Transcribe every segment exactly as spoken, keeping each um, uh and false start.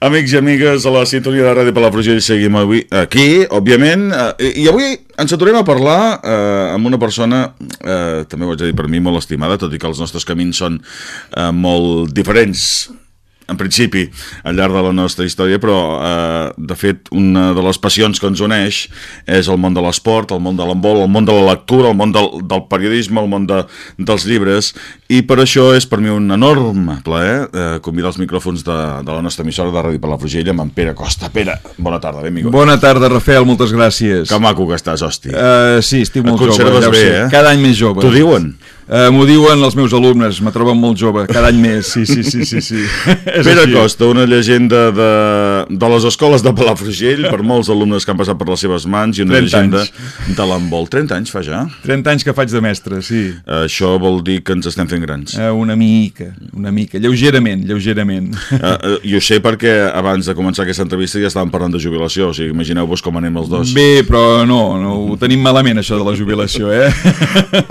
Amics i amigues, a la sintonia de Ràdio Palafrugell seguim avui aquí, òbviament, eh, i avui ens aturem a parlar eh, amb una persona, eh, també ho haig de dir per mi, molt estimada, tot i que els nostres camins són eh, molt diferents, en principi, al llarg de la nostra història, però, eh, de fet, una de les passions que ens uneix és el món de l'esport, el món de l'handbol, el món de la lectura, el món del, del periodisme, el món de, dels llibres, i per això és per mi un enorme plaer eh, convidar els micròfons de, de la nostra emissora de Ràdio Palafrugell amb en Pere Costa. Pere, bona tarda, benvingut. Bona tarda, Rafael, moltes gràcies. Que maco que estàs, hosti. Uh, sí, estic molt jove, ja ho bé, sé. Eh? Cada any més jove. T'ho diuen? Uh, M'ho diuen els meus alumnes, me troben molt jove, cada any més, sí, sí, sí, sí, sí. Pere així. Costa, una llegenda de, de les escoles de Palafrugell, per molts alumnes que han passat per les seves mans, i una llegenda anys. De l'handbol. trenta anys fa ja? trenta anys que faig de mestre, sí. Uh, això vol dir que ens estem fent grans? Uh, una mica, una mica, lleugerament, lleugerament. Uh, uh, I ho sé perquè abans de començar aquesta entrevista ja estàvem parlant de jubilació, o sigui, imagineu-vos com anem els dos. Bé, però no, no ho tenim malament, això de la jubilació, eh?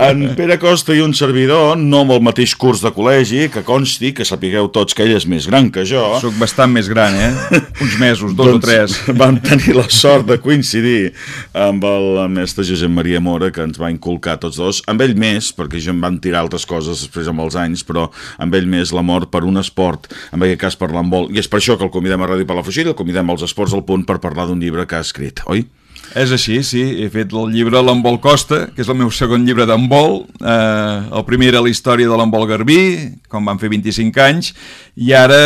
En Pere Costa i un servidor, no amb el mateix curs de col·legi, que consti, que sapigueu tots que ell és més gran que jo. Soc bastant més gran, eh? Uns mesos, dos doncs, o tres. Vam tenir la sort de coincidir amb el mestre Josep Maria Mora, que ens va inculcar tots dos, amb ell més, perquè jo em van tirar altres coses després amb els anys, però amb ell més l'amor per un esport, en aquest cas per l'handbol, i és per això que el convidem a Ràdio Palafrugell, el convidem als Esports al Punt per parlar d'un llibre que ha escrit, oi? És així, sí, he fet el llibre L'handbol Costa, que és el meu segon llibre d'handbol. Eh, el primer era la història de l'handbol garbí, com van fer vint-i-cinc anys, i ara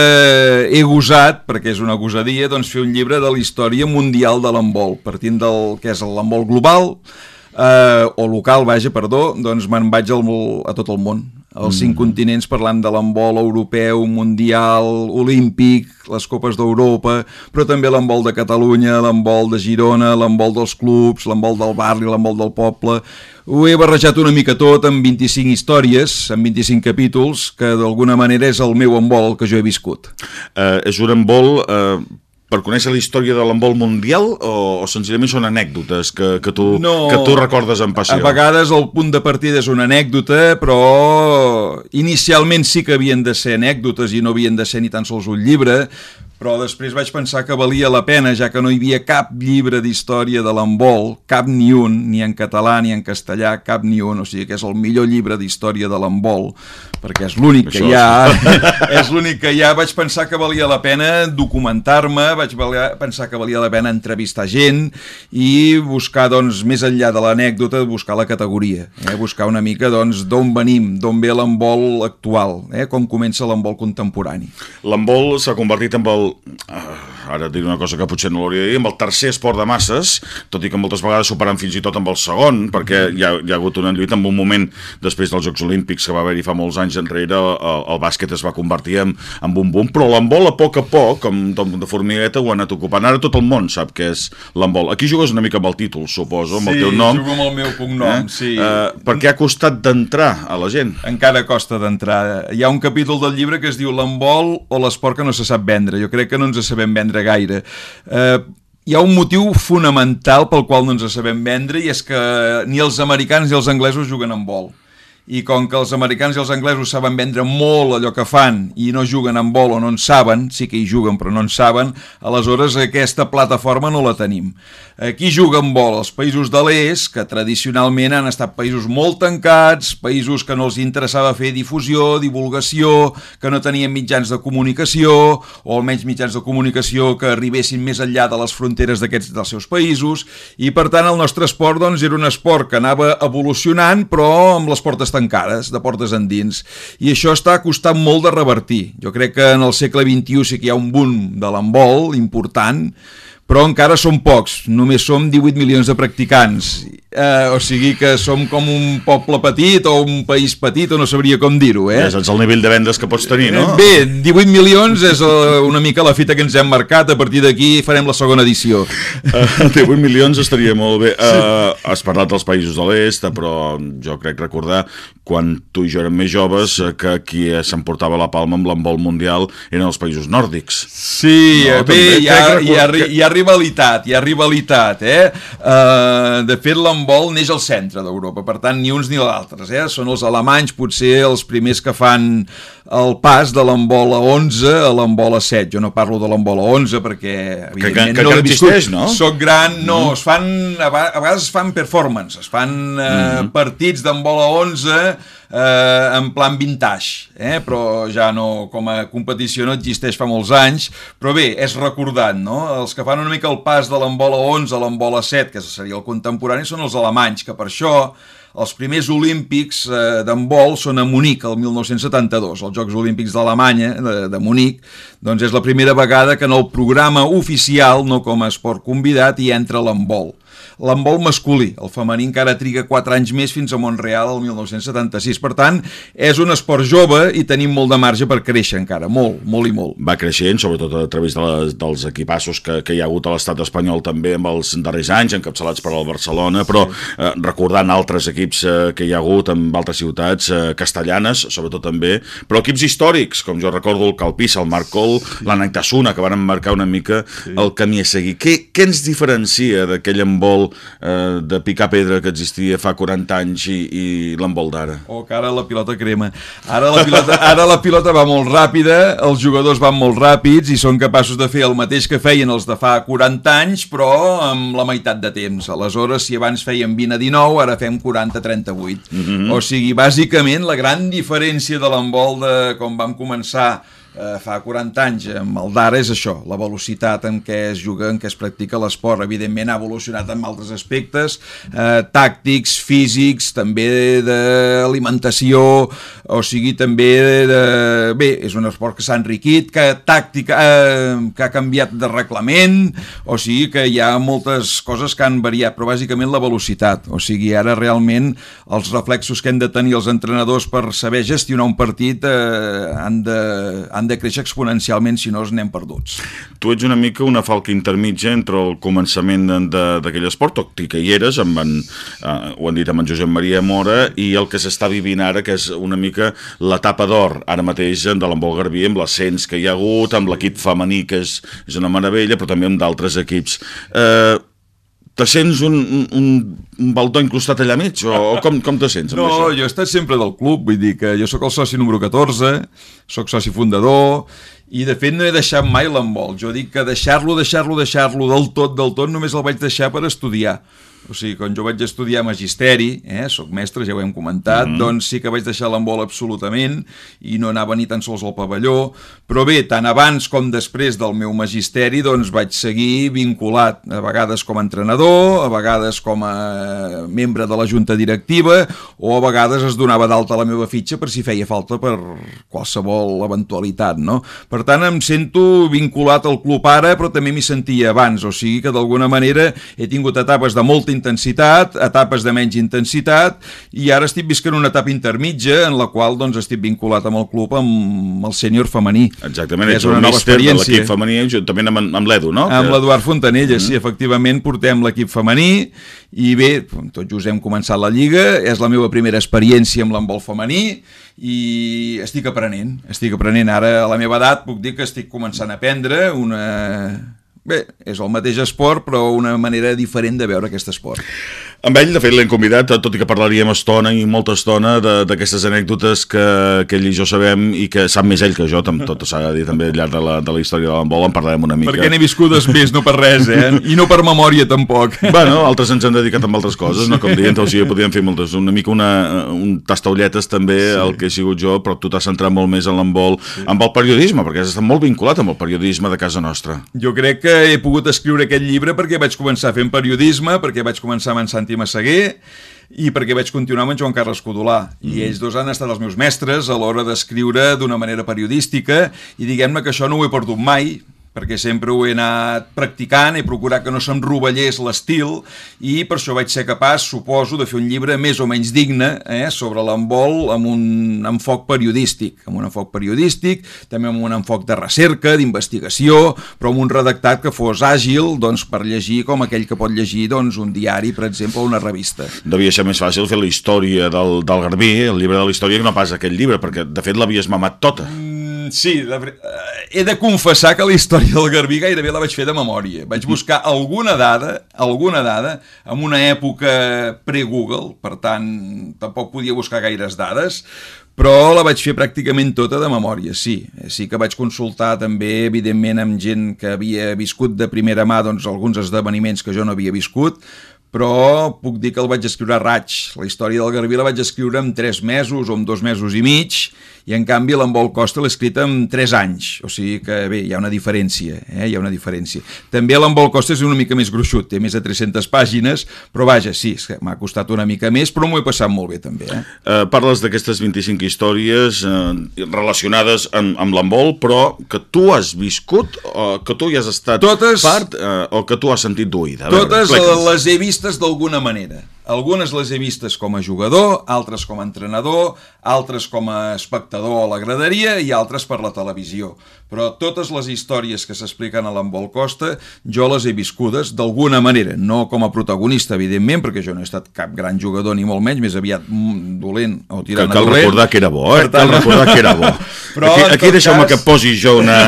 he gosat, perquè és una gosadia, doncs fer un llibre de la història mundial de l'handbol, partint del que és l'handbol global, eh, o local, vaja, perdó, doncs me'n vaig al, a tot el món. Els cinc mm. continents, parlant de l'handbol europeu, mundial, olímpic, les copes d'Europa, però també l'handbol de Catalunya, l'handbol de Girona, l'handbol dels clubs, l'handbol del barri, l'handbol del poble. Ho he barrejat una mica tot amb vint-i-cinc històries, amb vint-i-cinc capítols, que d'alguna manera és el meu handbol que jo he viscut. Uh, és un handbol... Uh... per conèixer la història de l'handbol mundial o, o senzillament són anècdotes que, que, tu, no, que tu recordes amb passió? A vegades el punt de partida és una anècdota, però inicialment sí que havien de ser anècdotes i no havien de ser ni tan sols un llibre, però després vaig pensar que valia la pena, ja que no hi havia cap llibre d'història de l'handbol, cap ni un, ni en català ni en castellà, cap ni un, o sigui que és el millor llibre d'història de l'handbol, perquè és l'únic que hi ha, és l'únic que hi ha. Vaig pensar que valia la pena documentar-me, vaig pensar que valia la pena entrevistar gent i buscar, doncs, més enllà de l'anècdota, buscar la categoria, eh? Buscar una mica, doncs, d'on venim, d'on ve l'handbol actual, eh? Com comença l'handbol contemporani. L'handbol s'ha convertit en el Uh, ara diré una cosa que potser no l'hauria de dir, amb el tercer esport de masses, tot i que moltes vegades superant fins i tot amb el segon, perquè hi ha, hi ha hagut una lluita en un moment després dels Jocs Olímpics que va haver-hi fa molts anys enrere, el, el bàsquet es va convertir en, en un boom, però l'handbol a poc a poc, com de formigueta, ho ha anat ocupant. Ara tot el món sap què és l'handbol. Aquí jugues una mica amb el títol, suposo, amb sí, el teu nom. Sí, jugo amb el meu cognom, eh? Sí. Uh, perquè ha costat d'entrar a la gent. Encara costa d'entrar. Hi ha un capítol del llibre que es diu L'handbol o l'esport que no se sap vendre. Jo crec que no ens sabem vendre gaire. Eh, hi ha un motiu fonamental pel qual no ens sabem vendre, i és que ni els americans ni els anglesos juguen a handbol. I com que els americans i els anglesos saben vendre molt allò que fan i no juguen a handbol o no en saben, sí que hi juguen però no en saben, aleshores aquesta plataforma no la tenim. Qui juga a handbol? Els països de l'est, que tradicionalment han estat països molt tancats, països que no els interessava fer difusió, divulgació, que no tenien mitjans de comunicació, o almenys mitjans de comunicació que arribessin més enllà de les fronteres d'aquests dels seus països, i per tant el nostre esport, doncs, era un esport que anava evolucionant però amb les portes tancades, de portes endins, i això està costant molt de revertir. Jo crec que en el segle vint-i-u sí que hi ha un boom de l'handbol important, però encara som pocs, només som divuit milions de practicants, eh, o sigui que som com un poble petit o un país petit, o no sabria com dir-ho, eh? Ja saps el nivell de vendes que pots tenir, no? Bé, divuit milions és una mica la fita que ens hem marcat, a partir d'aquí farem la segona edició. Uh, divuit milions estaria molt bé. Uh, has parlat dels països de l'est, però jo crec recordar quan tu i jo érem més joves, que qui s'emportava la palma amb l'handbol mundial eren els països nòrdics. Sí, no, bé, també, hi, ha, crec, hi, ha, que... hi ha rivalitat, hi ha rivalitat, eh? Uh, de fet, l'handbol neix al centre d'Europa, per tant, ni uns ni l'altres, eh? Són els alemanys, potser els primers que fan el pas de l'handbol a onze a l'handbol a set. Jo no parlo de l'handbol a onze perquè, evidentment, que, que, no que existeix, no? Soc gran, no, mm. es fan, a vegades es fan performance, es fan eh, mm. partits d'handbol a onze eh, en plan vintage, eh? Però ja no, com a competició no existeix fa molts anys, però bé, és recordat, no? Els que fan una mica el pas de l'handbol a onze a l'handbol a set, que seria el contemporani, són els alemanys, que per això els primers olímpics eh, d'handbol són a Munic, el mil nou-cents setanta-dos, els Jocs Olímpics d'Alemanya, de, de Munic, doncs és la primera vegada que en el programa oficial, no com a esport convidat, hi entra l'handbol. L'handbol masculí, el femení encara triga quatre anys més fins a Montreal el mil nou-cents setanta-sis. Per tant, és un esport jove i tenim molt de marge per créixer encara, molt, molt i molt. Va creixent, sobretot a través de les, dels equipassos que, que hi ha hagut a l'estat espanyol també amb els darrers anys, encapçalats per al Barcelona, però eh, recordant altres equips eh, que hi ha hagut en altres ciutats eh, castellanes, sobretot també, però equips històrics, com jo recordo el Calpís, el Marcol, l'Anactasuna, que van marcar una mica sí. el camí a seguir. Què, què ens diferencia d'aquell handbol eh, de picar pedra que existia fa quaranta anys i, i l'handbol d'ara? Oh, que ara la pilota crema. Ara la pilota, ara la pilota va molt ràpida, els jugadors van molt ràpids i són capaços de fer el mateix que feien els de fa quaranta anys, però amb la meitat de temps. Aleshores, si abans feien vint a dinou, ara fem quaranta a trenta-vuit. Mm-hmm. O sigui, bàsicament, la gran diferència de l'handbol de com vam començar Eh, fa quaranta anys amb el d'ara és això, la velocitat en què es juga, en què es practica l'esport. Evidentment ha evolucionat en altres aspectes, eh, tàctics, físics, també d'alimentació, o sigui, també de... Bé, és un esport que s'ha enriquit, que tàctica, eh, que ha canviat de reglament, o sigui que hi ha moltes coses que han variat, però bàsicament la velocitat. O sigui, ara realment els reflexos que han de tenir els entrenadors per saber gestionar un partit eh, han de... Han de créixer exponencialment, si no es anem perduts. Tu ets una mica una falca intermitja entre el començament d'aquell esport, tot i que hi eres, amb en, eh, ho han dit amb en Josep Maria Mora, i el que s'està vivint ara, que és una mica l'etapa d'or, ara mateix de l'handbol garbí, amb l'ascens que hi ha hagut, amb l'equip femení, que és, és una meravella, però també amb d'altres equips. Eh... Te sents un, un, un baldó incrustat allà mig? O, o com, com te sents amb no, això? No, jo he estat sempre del club, vull dir que jo sóc el soci número catorze, sóc soci fundador, i de fet no he deixat mai l'handbol. Jo dic que deixar-lo, deixar-lo, deixar-lo del tot, del tot, només el vaig deixar per estudiar. O sigui, quan jo vaig estudiar magisteri, eh, soc mestre, ja ho hem comentat, mm-hmm. doncs sí que vaig deixar l'handbol absolutament i no anava ni tan sols al pavelló, però bé, tant abans com després del meu magisteri, doncs vaig seguir vinculat, a vegades com a entrenador, a vegades com a membre de la junta directiva, o a vegades es donava d'alta la meva fitxa per si feia falta per qualsevol eventualitat, no? Per tant, em sento vinculat al club ara, però també m'hi sentia abans, o sigui que d'alguna manera he tingut etapes de molta intensitat, etapes de menys intensitat, i ara estic visquent una etapa intermitja en la qual doncs estic vinculat amb el club, amb el sènior femení. Exactament, ets un míster de l'equip femení juntament amb, amb l'Edu, no? Amb l'Eduard Fontanella, mm-hmm. sí, efectivament portem l'equip femení i bé, tot just hem començat la lliga, és la meva primera experiència amb l'handbol femení i estic aprenent, estic aprenent ara a la meva edat, puc dir que estic començant a aprendre una... Bé, és el mateix esport, però una manera diferent de veure aquest esport. Amb ell, de fet, l'hem convidat, tot i que parlaríem estona i molta estona d'aquestes anècdotes que, que ell i jo sabem i que sap més ell que jo, tot s'ha de dir també al llarg de la, de la història de l'handbol, en parlarem una mica. Perquè n'he viscudes més, no per res, eh? I no per memòria, tampoc. Bueno, altres ens han dedicat amb altres coses, no? Com dient, o sigui, podríem fer moltes, una mica una, un tastaulletes també, sí. El que he sigut jo, però tu t'has centrat molt més en l'handbol, sí. Amb el periodisme, perquè has estat molt vinculat amb el periodisme de casa nostra. Jo crec que he pogut escriure aquest llibre perquè vaig començar fent periodisme, perquè vaig començar amb en Santi Massaguer i perquè vaig continuar amb en Joan Carles Codolà. I ells dos han estat els meus mestres a l'hora d'escriure d'una manera periodística i diguem-ne que això no ho he perdut mai, perquè sempre ho he anat practicant, he procurat que no se'm rovellés l'estil, i per això vaig ser capaç, suposo, de fer un llibre més o menys digne eh, sobre l'handbol amb un enfoc periodístic, amb un enfoc periodístic, també amb un enfoc de recerca, d'investigació, però amb un redactat que fos àgil doncs, per llegir com aquell que pot llegir doncs, un diari, per exemple, o una revista. Devia ser més fàcil fer la història del, del Garbí, el llibre de la història, que no pas aquell llibre, perquè de fet l'havies mamat tota. Mm, sí, de, he de confessar que la història del Garbí gairebé la vaig fer de memòria. Vaig buscar alguna dada, alguna dada, en una època pre-Google, per tant, tampoc podia buscar gaires dades, però la vaig fer pràcticament tota de memòria, sí. Sí que vaig consultar també, evidentment, amb gent que havia viscut de primera mà doncs, alguns esdeveniments que jo no havia viscut, però puc dir que el vaig escriure a raig. La història del Garbí la vaig escriure en tres mesos o en dos mesos i mig, i en canvi l'Handbol Costa l'he escrit en tres anys, o sigui que bé, hi ha una diferència, eh? hi ha una diferència. També l'Handbol Costa és una mica més gruixut, té més de tres-centes pàgines, però vaja, sí, m'ha costat una mica més, però m'ho he passat molt bé també. Eh? Uh, parles d'aquestes vint-i-cinc històries uh, relacionades amb, amb l'handbol, però que tu has viscut, o que tu hi has estat totes, part, uh, o que tu has sentit d'oïda. Totes veure, les he vistes d'alguna manera. Algunes les he vistes com a jugador, altres com a entrenador, altres com a espectador a la graderia i altres per la televisió. Però totes les històries que s'expliquen a l'Handbol Costa jo les he viscudes d'alguna manera, no com a protagonista, evidentment, perquè jo no he estat cap gran jugador ni molt menys, més aviat dolent o tirant que, a dolent. Cal recordar que era bo, eh? Tant... Cal recordar que era bo. Però, aquí aquí deixeu-me cas... que posi jo una,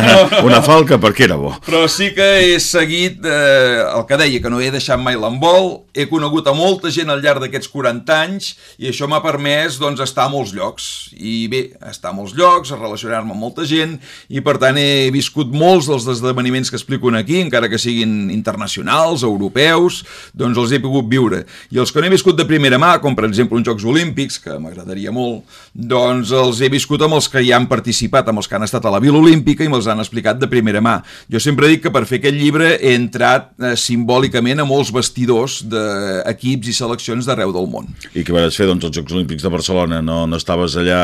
una falca perquè era bo. Però sí que he seguit eh, el que deia, que no he deixat mai l'handbol, he conegut a molta gent al llarg d'aquests quaranta anys i això m'ha permès doncs, estar a molts llocs. I bé, estar a molts llocs, relacionar-me amb molta gent i per tant he viscut molts dels esdeveniments que explico aquí, encara que siguin internacionals, europeus, doncs els he pogut viure. I els que no he viscut de primera mà, com per exemple uns Jocs Olímpics, que m'agradaria molt, doncs els he viscut amb els que hi han participat, amb els que han estat a la Vila Olímpica i me'ls han explicat de primera mà. Jo sempre dic que per fer aquest llibre he entrat eh, simbòlicament a molts vestidors d'equips i seleccions d'arreu del món. I què vas fer, doncs, als Jocs Olímpics de Barcelona? No, no estaves allà...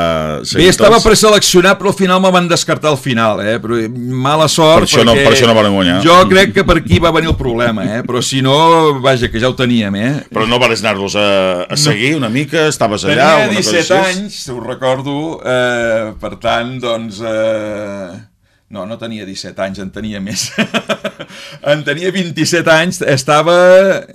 Bé, estava preseleccionat, però al final me van descartar al final, eh? Però mala sort, per això perquè... No, per això no van guanyar. Jo crec que per aquí va venir el problema, eh? Però si no, vaja, que ja ho teníem, eh? Però no vas anar-los a, a seguir no. una mica? Estaves allà? Tenia disset anys, ho recordo, eh, per tant, doncs... Eh... No, no tenia disset anys, en tenia més. En tenia vint-i-set anys, estava...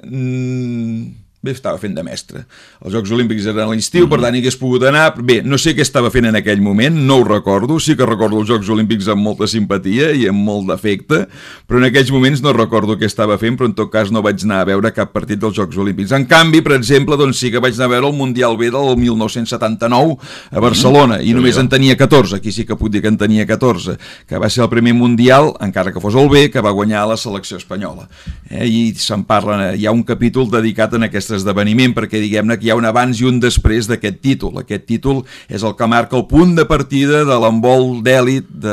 Mm... Bé, estava fent de mestre. Els Jocs Olímpics eren a l'estiu, per tant hi hagués pogut anar. Bé, no sé què estava fent en aquell moment, no ho recordo. Sí que recordo els Jocs Olímpics amb molta simpatia i amb molt d'afecte, però en aquells moments no recordo què estava fent, però en tot cas no vaig anar a veure cap partit dels Jocs Olímpics. En canvi, per exemple, doncs sí que vaig anar a veure el Mundial B del mil nou-cents setanta-nou a Barcelona, i només en tenia catorze, aquí sí que puc dir que en tenia catorze, que va ser el primer Mundial, encara que fos el B, que va guanyar la selecció espanyola. Eh? I se'n parla, hi ha un capítol dedicat a aquest esdeveniment, perquè diguem-ne que hi ha un abans i un després d'aquest títol. Aquest títol és el que marca el punt de partida de l'handbol d'èlit de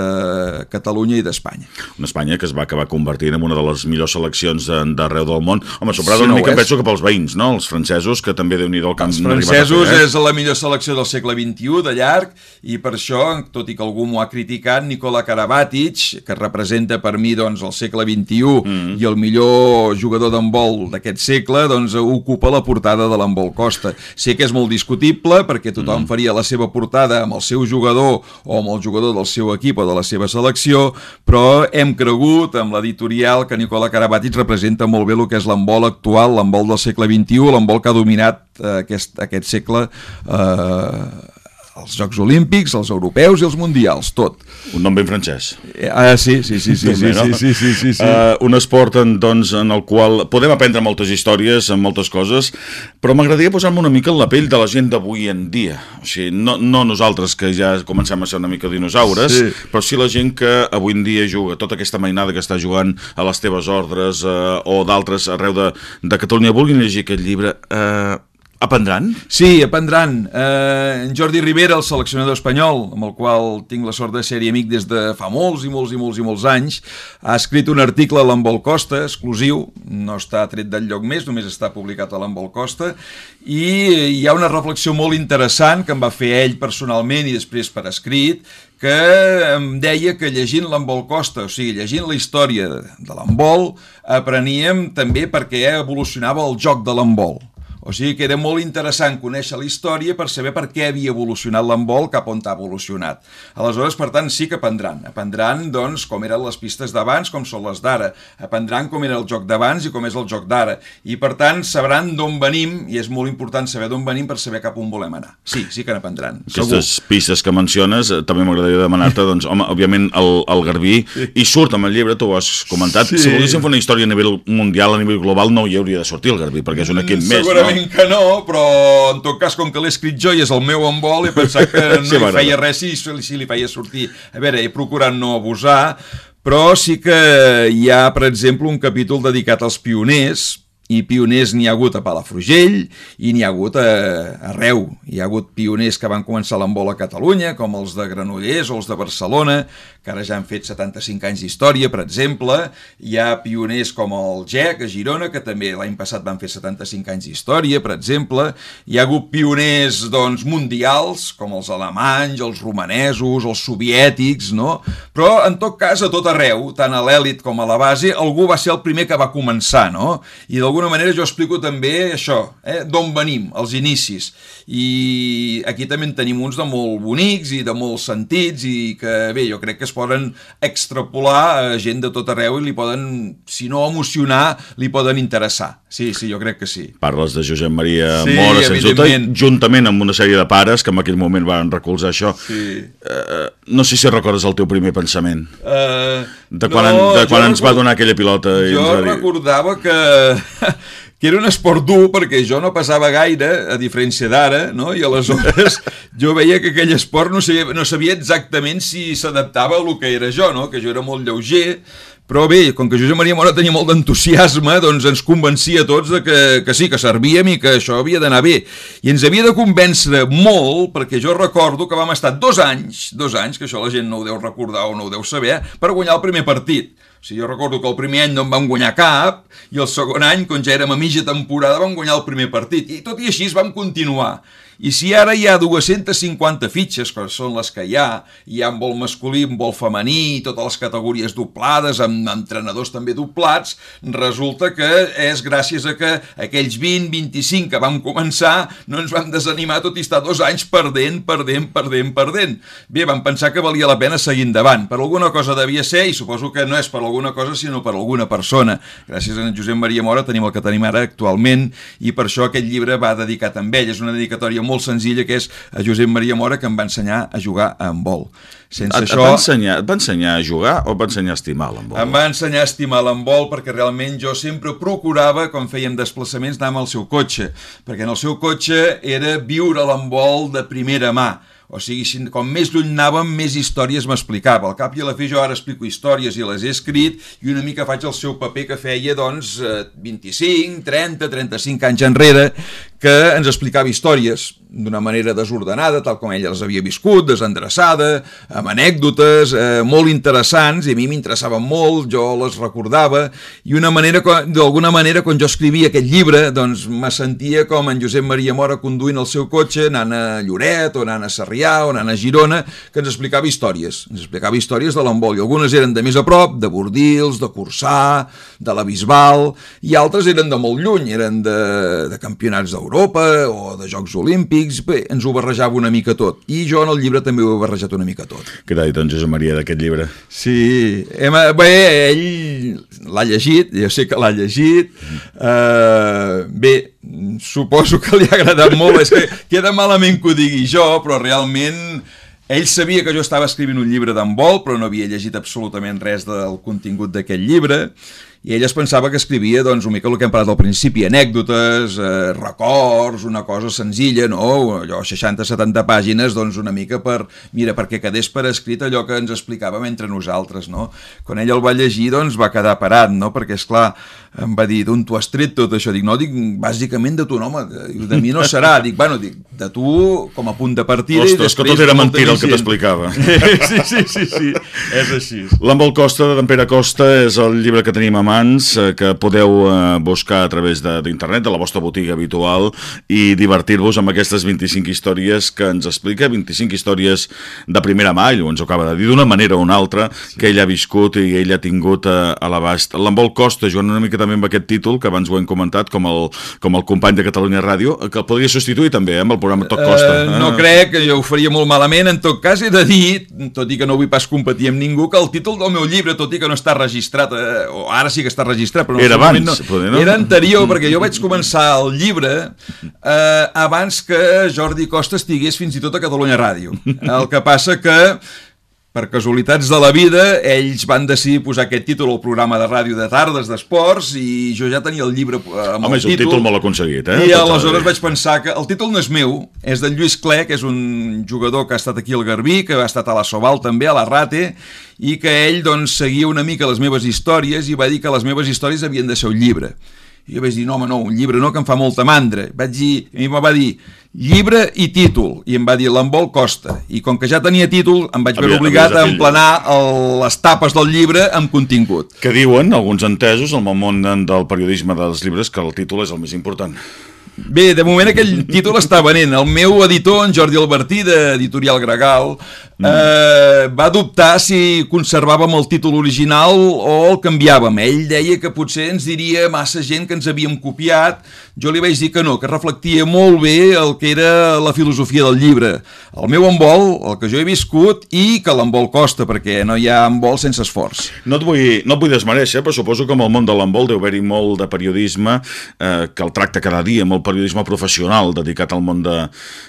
Catalunya i d'Espanya. Una Espanya que es va acabar convertint en una de les millors seleccions d'arreu del món. Home, sobrada sí, una no mica, penso que pels veïns, no? Els francesos, que també déu-n'hi-do el camp. Els francesos és la millor selecció del segle vint-i-u, de llarg, i per això, tot i que algú m'ho ha criticat, Nikola Karabatic, que representa per mi doncs, el segle vint-i-u mm. i el millor jugador d'handbol d'aquest segle, doncs ocupa la portada de l'Handbol Costa. Sé que és molt discutible perquè tothom mm. faria la seva portada amb el seu jugador o amb el jugador del seu equip o de la seva selecció, però hem cregut amb l'editorial que Nikola Karabatic representa molt bé el que és l'handbol actual, l'handbol del segle vint-i-u, l'handbol que ha dominat eh, aquest, aquest segle eh, els Jocs Olímpics, els europeus i els mundials, tot. Un nom ben francès. Ah, sí, sí, sí, sí, sí, sí, sí, sí, sí, sí. Uh, un esport en, doncs, en el qual podem aprendre moltes històries, moltes coses, però m'agradaria posar-me una mica en la pell de la gent d'avui en dia. O sigui, no, no nosaltres, que ja comencem a ser una mica dinosaures, sí. però sí la gent que avui en dia juga, tota aquesta mainada que està jugant a les teves ordres uh, o d'altres arreu de, de Catalunya, vulguin llegir aquest llibre... Uh, Aprendran? Sí, aprendran. Eh, en Jordi Rivera, el seleccionador espanyol, amb el qual tinc la sort de ser-hi amic des de fa molts i molts i molts i molts anys, ha escrit un article a l'Envol Costa, exclusiu, no està tret d'enlloc més, només està publicat a l'Envol Costa, i hi ha una reflexió molt interessant que em va fer ell personalment i després per escrit, que em deia que llegint l'Envol Costa, o sigui, llegint la història de l'handbol, apreníem també perquè evolucionava el joc de l'handbol. O sigui que era molt interessant conèixer la història per saber per què havia evolucionat l'handbol cap on ha evolucionat. Aleshores, per tant, sí que aprendran. Aprendran, doncs, com eren les pistes d'abans, com són les d'ara. Aprendran com era el joc d'abans i com és el joc d'ara. I, per tant, sabran d'on venim, i és molt important saber d'on venim per saber cap on volem anar. Sí, sí que n'aprendran. Aquestes pistes que menciones, eh, també m'agradaria demanar-te, doncs, home, òbviament, el, el Garbí, sí. I surt amb el llibre, tu ho has comentat, sí. Si volguéssim fer una història a nivell mundial, a nivell global, no hi hauria de sortir el Garbí, perquè és un equip més, no? Que no, però en tot cas, com que l'he escrit jo i és el meu handbol, he pensat que no sí, hi feia res si, si li feia sortir. A veure, he procurat no abusar, però sí que hi ha, per exemple, un capítol dedicat als pioners, i pioners n'hi ha hagut a Palafrugell i n'hi ha hagut a, arreu. Hi ha hagut pioners que van començar l'handbol a Catalunya, com els de Granollers o els de Barcelona, que ara ja han fet setanta-cinc anys d'història, per exemple. Hi ha pioners com el G E C a Girona, que també l'any passat van fer setanta-cinc anys d'història, per exemple. Hi ha hagut pioners, doncs, mundials, com els alemanys, els romanesos, els soviètics, no? Però, en tot cas, a tot arreu, tant a l'èlit com a la base, algú va ser el primer que va començar, no? I d'alguna manera jo explico també això, eh? D'on venim, els inicis. I aquí també en tenim uns de molt bonics i de molts sentits i que, bé, jo crec que es poden extrapolar a gent de tot arreu i li poden, si no emocionar, li poden interessar. Sí, sí, jo crec que sí. Parles de Josep Maria sí, Mora, sens dubte, juntament amb una sèrie de pares que en aquell moment van recolzar això. Sí. Uh, no sé si recordes el teu primer pensament. Uh, de quan, no, en, de quan ens record... va donar aquella pilota. Jo i ens va dir... recordava que... que era un esport dur perquè jo no passava gaire, a diferència d'ara, no? I aleshores jo veia que aquell esport no sabia, no sabia exactament si s'adaptava a lo que era jo, no? Que jo era molt lleuger, però bé, com que Josep Maria Mora tenia molt d'entusiasme, doncs ens convencia a tots de que, que sí, que servíem i que això havia d'anar bé. I ens havia de convèncer molt, perquè jo recordo que vam estar dos anys, dos anys, que això la gent no ho deu recordar o no ho deu saber, per guanyar el primer partit. O sigui, jo recordo que el primer any no en vam guanyar cap, i el segon any, quan ja érem a mitja temporada, vam guanyar el primer partit. I tot i així vam continuar. I si ara hi ha dues-centes cinquanta fitxes, que són les que hi ha, hi ha en vol masculí, en vol femení, totes les categories doblades, amb entrenadors també doblats, resulta que és gràcies a que aquells vint, vint-i-cinc que vam començar no ens vam desanimar tot i estar dos anys perdent, perdent, perdent, perdent. Bé, vam pensar que valia la pena seguir endavant. Per alguna cosa devia ser, i suposo que no és per alguna cosa, sinó per alguna persona. Gràcies a en Josep Maria Mora tenim el que tenim ara actualment, i per això aquest llibre va dedicat a ell. És una dedicatòria molt senzilla, que és a Josep Maria Mora, que em va ensenyar a jugar a handbol. Sense et, això... Et va, ensenyar, et va ensenyar a jugar o et va ensenyar a estimar l'handbol? Em va ensenyar a estimar l'handbol perquè realment jo sempre procurava, quan fèiem desplaçaments, anar amb el seu cotxe, perquè en el seu cotxe era viure l'handbol de primera mà. O sigui, com més lluny anàvem, més històries m'explicava. Al cap i a la fi jo ara explico històries i les he escrit i una mica faig el seu paper que feia, doncs, vint-i-cinc, trenta, trenta-cinc anys enrere, que ens explicava històries d'una manera desordenada, tal com ella les havia viscut, desendreçada, amb anècdotes eh, molt interessants, i a mi m'interessaven molt, jo les recordava, i una manera, d'alguna manera, quan jo escrivia aquest llibre, doncs me sentia com en Josep Maria Mora conduint el seu cotxe, anant a Lloret, o anant a Sarrià, o anant a Girona, que ens explicava històries, ens explicava històries de l'handbol, i algunes eren de més a prop, de Bordils, de Corçà, de la Bisbal, i altres eren de molt lluny, eren de, de campionats d'Europa, o de Jocs Olímpics. Bé, ens ho barrejava una mica tot, i jo en el llibre també ho he barrejat una mica tot. Què t'ha dit en Josep Maria d'aquest llibre? Sí, hem, bé, ell l'ha llegit, jo sé que l'ha llegit, uh, bé, suposo que li ha agradat molt, és que queda malament que ho digui jo, però realment ell sabia que jo estava escrivint un llibre d'handbol, però no havia llegit absolutament res del contingut d'aquest llibre, i ell es pensava que escrivia doncs, una mica el que hem parlat al principi, anècdotes, eh, records, una cosa senzilla, no? Allò, seixanta setanta pàgines, doncs una mica per, mira, perquè quedés per escrit allò que ens explicàvem entre nosaltres, no? Quan ell el va llegir, doncs va quedar parat, no? Perquè, esclar, em va dir, d'on t'ho has tret tot això? Dic, no, dic, bàsicament de tu, no, home, de mi no serà. Dic, bueno, dic, de tu com a punt de partida. Ostres, que tot era mentira el que t'explicava. Sí, sí, sí, sí, és així. L'Embol Costa, d'en Pere Costa, és el llibre que tenim a mans, que podeu buscar a través d'internet, de la vostra botiga habitual, i divertir-vos amb aquestes vint-i-cinc històries que ens explica, vint-i-cinc històries de primera mà, ell ens ho acaba de dir, d'una manera o una altra, sí, que ell ha viscut i ell ha tingut a, a l'abast. L'Embol Costa, jugant una mica també amb aquest títol, que abans ho hem comentat, com el, com el company de Catalunya Ràdio, que el podria substituir també, eh, amb el programa Tot Costa. Uh, no ah. crec, que jo ho faria molt malament. En tot cas, he de dir, tot i que no vull pas competir amb ningú, que el títol del meu llibre, tot i que no està registrat, eh, o ara sí que està registrat, però no, era abans, no, poder, no? Era anterior, perquè jo vaig començar el llibre eh, abans que Jordi Costa estigués fins i tot a Catalunya Ràdio. El que passa que, per casualitats de la vida, ells van decidir posar aquest títol al programa de ràdio de tardes d'esports i jo ja tenia el llibre amb Home, el títol. és un títol molt aconseguit, eh? I aleshores vaig pensar que el títol no és meu, és del Lluís Clé, que és un jugador que ha estat aquí al Garbí, que ha estat a la Sobal també, a la Rate, i que ell doncs seguia una mica les meves històries i va dir que les meves històries havien de ser un llibre. I jo vaig dir, no, home, no, un llibre no, que em fa molta mandra. Vaig dir, i em va dir, llibre i títol, i em va dir l'Embol Costa, i com que ja tenia títol em vaig veure obligat a emplenar el, les tapes del llibre amb contingut. Que diuen alguns entesos al món del periodisme dels llibres que el títol és el més important. Bé, de moment aquell títol està venent. El meu editor, en Jordi Albertí, d'Editorial Gregal, eh, va dubtar si conservàvem el títol original o el canviàvem. Ell deia que potser ens diria massa gent que ens havíem copiat. Jo li vaig dir que no, que reflectia molt bé el que era la filosofia del llibre. El meu embol, el que jo he viscut, i que l'embol costa, perquè no hi ha embol sense esforç. No et vull, no et vull desmereixer, però suposo que amb el món de l'embol deu haver-hi molt de periodisme eh, que el tracta cada dia, molt periodisme professional dedicat al món de,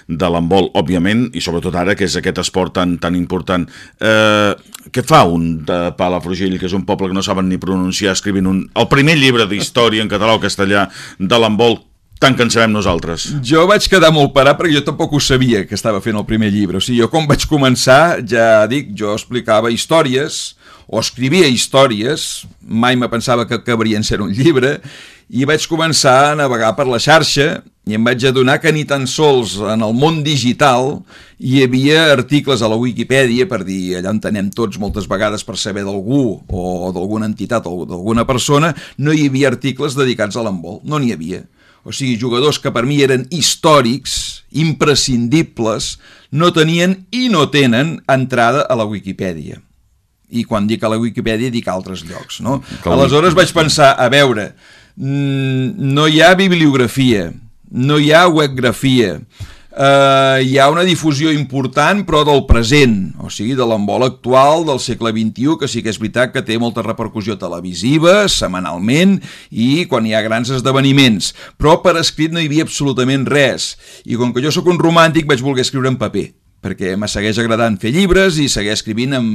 de l'handbol, òbviament, i sobretot ara, que és aquest esport tan, tan important. Eh, què fa un de Palafrugell, que és un poble que no saben ni pronunciar, escrivint un, el primer llibre d'història en català o castellà de l'handbol, tant que en sabem nosaltres? Jo vaig quedar molt parat perquè jo tampoc ho sabia que estava fent el primer llibre. O sigui, jo com vaig començar, ja dic, jo explicava històries o escrivia històries, mai me pensava que acabarien ser un llibre, i vaig començar a navegar per la xarxa i em vaig adonar que ni tan sols en el món digital hi havia articles a la Wikipedia, per dir, allà on tenem tots moltes vegades per saber d'algú o d'alguna entitat o d'alguna persona, no hi havia articles dedicats a l'handbol, no n'hi havia. O sigui, jugadors que per mi eren històrics, imprescindibles, no tenien i no tenen entrada a la Wikipedia. I quan dic a la Wikipedia dic a altres llocs, no? Aleshores vaig pensar, a veure, no hi ha bibliografia, no hi ha webgrafia, uh, hi ha una difusió important però del present, o sigui, de l'handbol actual del segle vint-i-u, que sí que és veritat que té molta repercussió televisiva, setmanalment, i quan hi ha grans esdeveniments, però per escrit no hi havia absolutament res, i com que jo sóc un romàntic vaig voler escriure en paper, perquè me segueix agradant fer llibres i seguir escrivint en,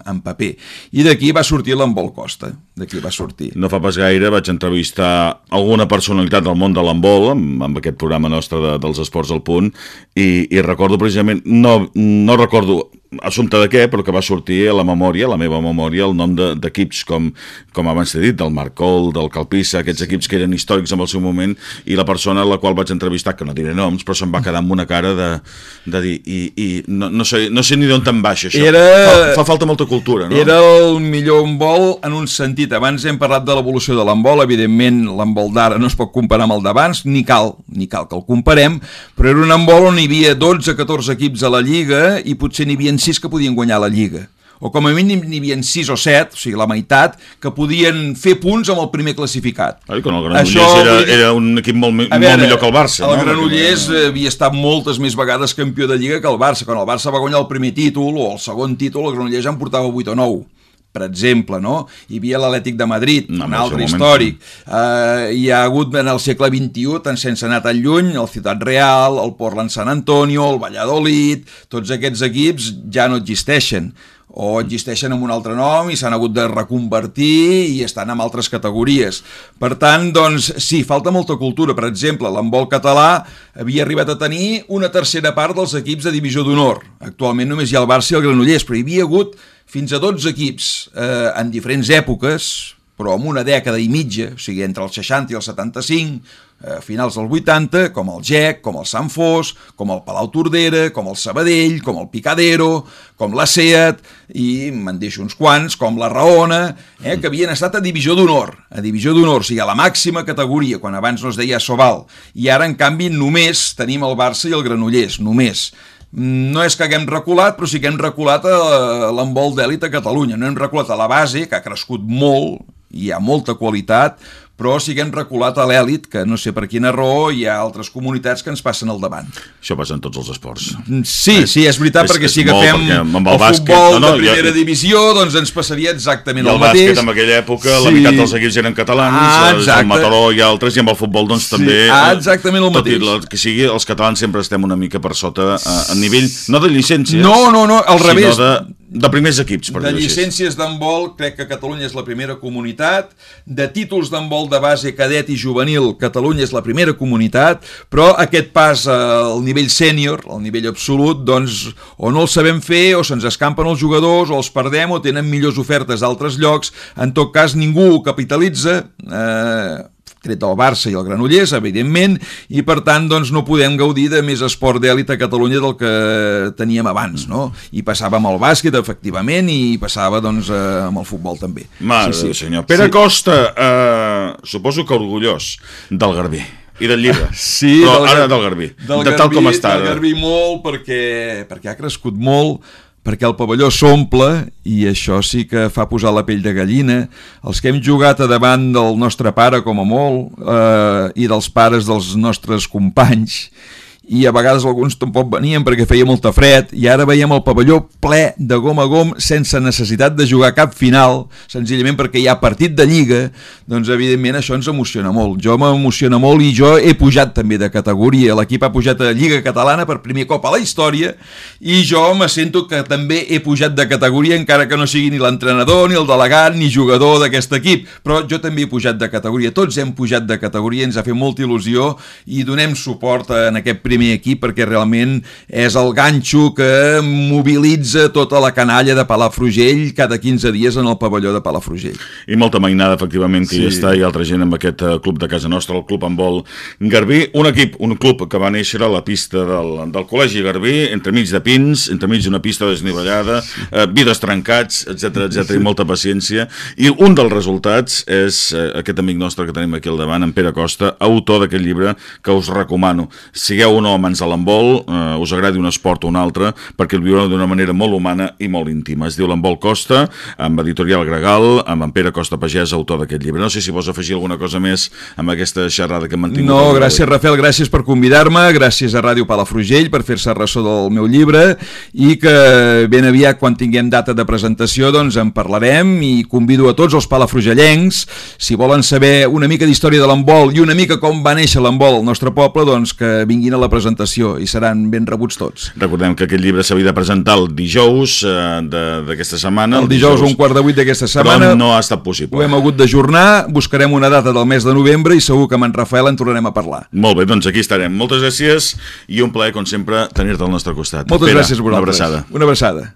en paper. I d'aquí va sortir l'handbol Costa, d'aquí va sortir. No fa pas gaire vaig entrevistar alguna personalitat del món de l'handbol, amb, amb aquest programa nostre de, dels Esports al Punt, i, i recordo precisament, no, no recordo assumpte de què, però que va sortir a la memòria, a la meva memòria, el nom d'equips com, com abans t'he dit, del Marcol, del Calpissa, aquests equips que eren històrics en el seu moment, i la persona a la qual vaig entrevistar, que no diré noms, però se'm va quedar amb una cara de, de dir, i, i no, no, sé, no sé ni d'on te'n baixa això. Era, fa, fa falta molta cultura, no? Era el millor handbol en un sentit. Abans hem parlat de l'evolució de l'handbol, evidentment l'handbol d'ara no es pot comparar amb el d'abans, ni cal, ni cal que el comparem, però era un handbol on hi havia dotze catorze equips a la Lliga i potser n'hi havia sis que podien guanyar la Lliga, o com a mínim n'hi havia sis o set, o sigui la meitat, que podien fer punts amb el primer classificat. Ai, quan el Granollers Això, era, era un equip molt, veure, molt millor que el Barça. El no? Granollers havia estat moltes més vegades campió de Lliga que el Barça. Quan el Barça va guanyar el primer títol o el segon títol, el Granollers en portava vuit o nou. Per exemple, no? Hi havia l'Atlètic de Madrid, no, un altre històric. Uh, hi ha hagut en el segle vint-i-u, tant sense anar tan lluny, el Ciutat Real, el Portland San Antonio, el Valladolid, tots aquests equips ja no existeixen. o existeixen amb un altre nom i s'han hagut de reconvertir i estan en altres categories. Per tant, doncs, sí, falta molta cultura. Per exemple, l'handbol català havia arribat a tenir una tercera part dels equips de divisió d'honor. Actualment només hi ha el Barça i el Granollers, però hi havia hagut fins a dotze equips eh, en diferents èpoques, però en una dècada i mitja, o sigui, entre els seixanta i els setanta-cinc, a finals del vuitanta, com el G E C, com el Sant Fos, com el Palau Tordera, com el Sabadell, com el Picadero, com la SEAT, i me'n deixo uns quants, com la Raona, eh, que havien estat a divisió d'honor, a divisió d'honor, o sigui, a la màxima categoria, quan abans no es deia Sobal, i ara, en canvi, només tenim el Barça i el Granollers, només. No és que haguem reculat, però sí que hem reculat a l'handbol d'èlit a Catalunya. No hem reculat a la base, que ha crescut molt, hi ha molta qualitat, però sí que hem reculat a l'èlit, que no sé per quina raó hi ha altres comunitats que ens passen al davant. Això passa en tots els esports. Sí, eh? sí, és veritat, és, perquè si agafem el, el bàsquet, futbol no, no, de primera ja, divisió, doncs ens passaria exactament el, el mateix. I el bàsquet en aquella època, sí. La meitat dels equips eren catalans, ah, el Mataró i altres, i amb el futbol doncs sí. també... Ah, exactament el mateix. Tot i que sigui, els catalans sempre estem una mica per sota a, a nivell, no de llicències, no, no, no, al revés, sinó de... de primers equips, per de llicències d'handbol, crec que Catalunya és la primera comunitat, de títols d'handbol de base, cadet i juvenil, Catalunya és la primera comunitat, però aquest pas al nivell sènior, al nivell absolut, doncs o no el sabem fer, o se'ns escampen els jugadors, o els perdem, o tenen millors ofertes d'altres llocs, en tot cas ningú ho capitalitza, eh... tret del Barça i el Granollers, evidentment, i per tant doncs, no podem gaudir de més esport d'èlit a Catalunya del que teníem abans, no? I passava amb el bàsquet, efectivament, i passava doncs, amb el futbol també. Mare sí, sí. senyor. Pere sí. Costa, eh, suposo que orgullós del Garbí. I del llibre, sí, però del, ara del Garbí, del de Garbí, tal com està. Del Garbí molt, perquè, perquè ha crescut molt, perquè el pavelló s'omple, i això sí que fa posar la pell de gallina. Els que hem jugat a davant del nostre pare, com a molt, eh, i dels pares dels nostres companys, i a vegades alguns tampoc venien perquè feia molta fred, i ara veiem el pavelló ple de gom a gom sense necessitat de jugar cap final, senzillament perquè hi ha partit de Lliga, doncs evidentment això ens emociona molt. Jo m'emociona molt i jo he pujat també de categoria, l'equip ha pujat a Lliga Catalana per primer cop a la història, i jo me sento que també he pujat de categoria, encara que no sigui ni l'entrenador, ni el delegat, ni jugador d'aquest equip, però jo també he pujat de categoria, tots hem pujat de categoria, ens ha fet molta il·lusió i donem suport en aquest primer primer equip perquè realment és el ganxo que mobilitza tota la canalla de Palafrugell cada quinze dies en el pavelló de Palafrugell. I molta mainada, efectivament, que sí. hi està, i altra gent amb aquest club de casa nostra, el Club Handbol Garbí, un equip, un club que va néixer a la pista del, del Col·legi Garbí, entremig de pins, entremig d'una pista desnivellada, sí. eh, vides trencats, etcètera, etcètera, i molta paciència, i un dels resultats és eh, aquest amic nostre que tenim aquí al davant, en Pere Costa, autor d'aquest llibre que us recomano. Sigueu un home de l'handbol, eh, us agradi un esport o un altre, perquè el viureu d'una manera molt humana i molt íntima. Es diu L'Handbol Costa, amb Editorial Gregal, amb en Pere Costa Pagès, autor d'aquest llibre. No sé si vols afegir alguna cosa més amb aquesta xerrada que hem mantingut. No, gràcies, Rafael, gràcies per convidar-me, gràcies a Ràdio Palafrugell per fer-se ressò del meu llibre, i que ben aviat, quan tinguem data de presentació, doncs en parlarem, i convido a tots els palafrugellencs, si volen saber una mica d'història de l'handbol i una mica com va néixer l'handbol al nostre poble, doncs que vinguin a la presentació i seran ben rebuts tots. Recordem que aquest llibre s'havia de presentar el dijous eh, d'aquesta setmana. El dijous, dijous un quart de vuit d'aquesta setmana. Però no ha estat possible. Ho hem hagut d'ajornar, buscarem una data del mes de novembre i segur que amb en Rafael en tornarem a parlar. Molt bé, doncs aquí estarem. Moltes gràcies i un plaer, com sempre, tenir-te al nostre costat. Moltes Pere, gràcies a vosaltres. Una abraçada. Una abraçada.